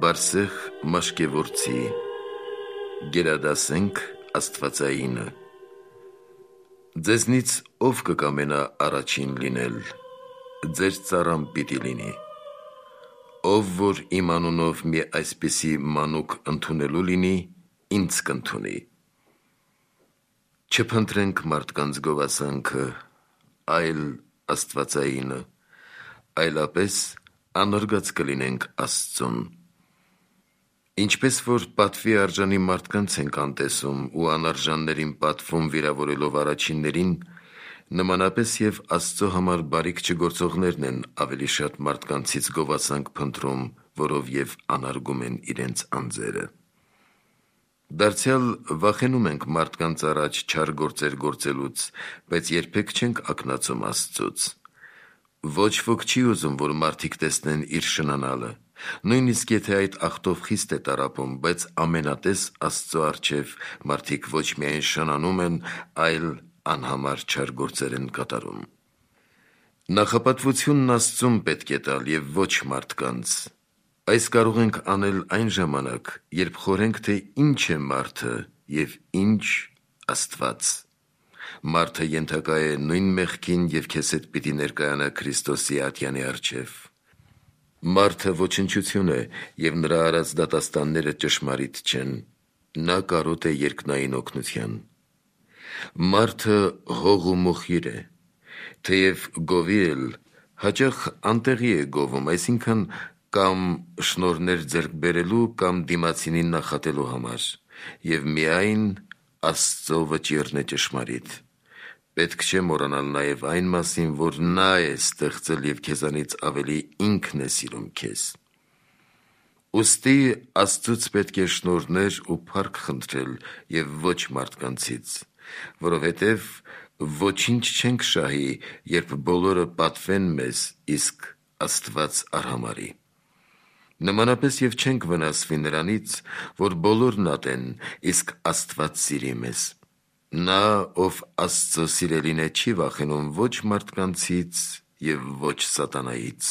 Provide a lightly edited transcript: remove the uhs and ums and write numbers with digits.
Բարսեղ մաշկևորցի, գերադասենք աստվածայինը։ Ձեզնից ով կկամենա առաջին լինել, ձեր ծառան պիտի լինի։ Ով որ իմ անունով մի այսպիսի մանուկ ընդունելու լինի, ինձ կընդունի։ Չփնտրենք մարդկանց գովասանքը, այլ աստվածայինը, այլապես անարգած կլինենք Աստծուն։ Ինչպես որ պատվի արժանի մարդկանց ենք անտեսում ու անարժաններին պատվում վիրավորելով առաջիններին, նմանապես և Աստծո համար բարիք չգործողներն են ավելի շատ մարդկանցից գովասանք փնտրում, որով և անարգում են իրենց անձերը։ Դարձյալ վախենում ենք մարդկանց առաջ չար գործեր գործելուց, բայց երբեք չենք ակնածում Աստծուց։ Ոչ ոք չի ուզում, որ մարդիկ տեսնեն իր շնանալը, նույնիսկ եթե այդ ախտով խիստ է տառապում, բայց ամենատես Աստծո առջև մարդիկ ոչ միայն շնանում են, այլ անհամար չար գործեր են կատարում։ Նախապատվությունն Աստծուն պետք է տալ և ոչ մարդկանց։ Այս կարող ենք անել այն ժամանակ, երբ խորենք, թե ինչ է մարդը և ինչ Աստված։ Մարդը ենթակա է նույն մեղքին և քեզ հետ պիտի ներկայանա Քրիստոսի ատյանի առջև։ Մարդը ոչնչություն է և նրա արած դատաստանները ճշմարիտ չեն, նա կարոտ է երկնային օգնության։ Մարդը հող ու մոխիր է, թեև գովի էլ, հաճախ անտեղի է գովում, այսինքն կամ շնորհներ ձեռք բերելու, կամ դիմացինին նախատելու համար, և միայն Աստծո վճիռն է ճշմարիտ։ Պետք չէ մոռանալ նաև այն մասին, որ նա է ստեղծել և քեզանից ավելի ինքն է սիրում քեզ։ Ուստի Աստծուց պետք է շնորհներ ու փառք խնդրել և ոչ մարդկանցից, որովհետև ոչինչ չենք շահի, երբ բոլորը պատվեն մեզ, իսկ Աստված արհամարհի։ Նմանապես և չենք վնասվի նրանից, որ բոլորն ատեն, իսկ Աստված սիրի մեզ։ Նա, ով Աստծո սիրելին է, չի վախենում ոչ մարդկանցից և ոչ սատանայից։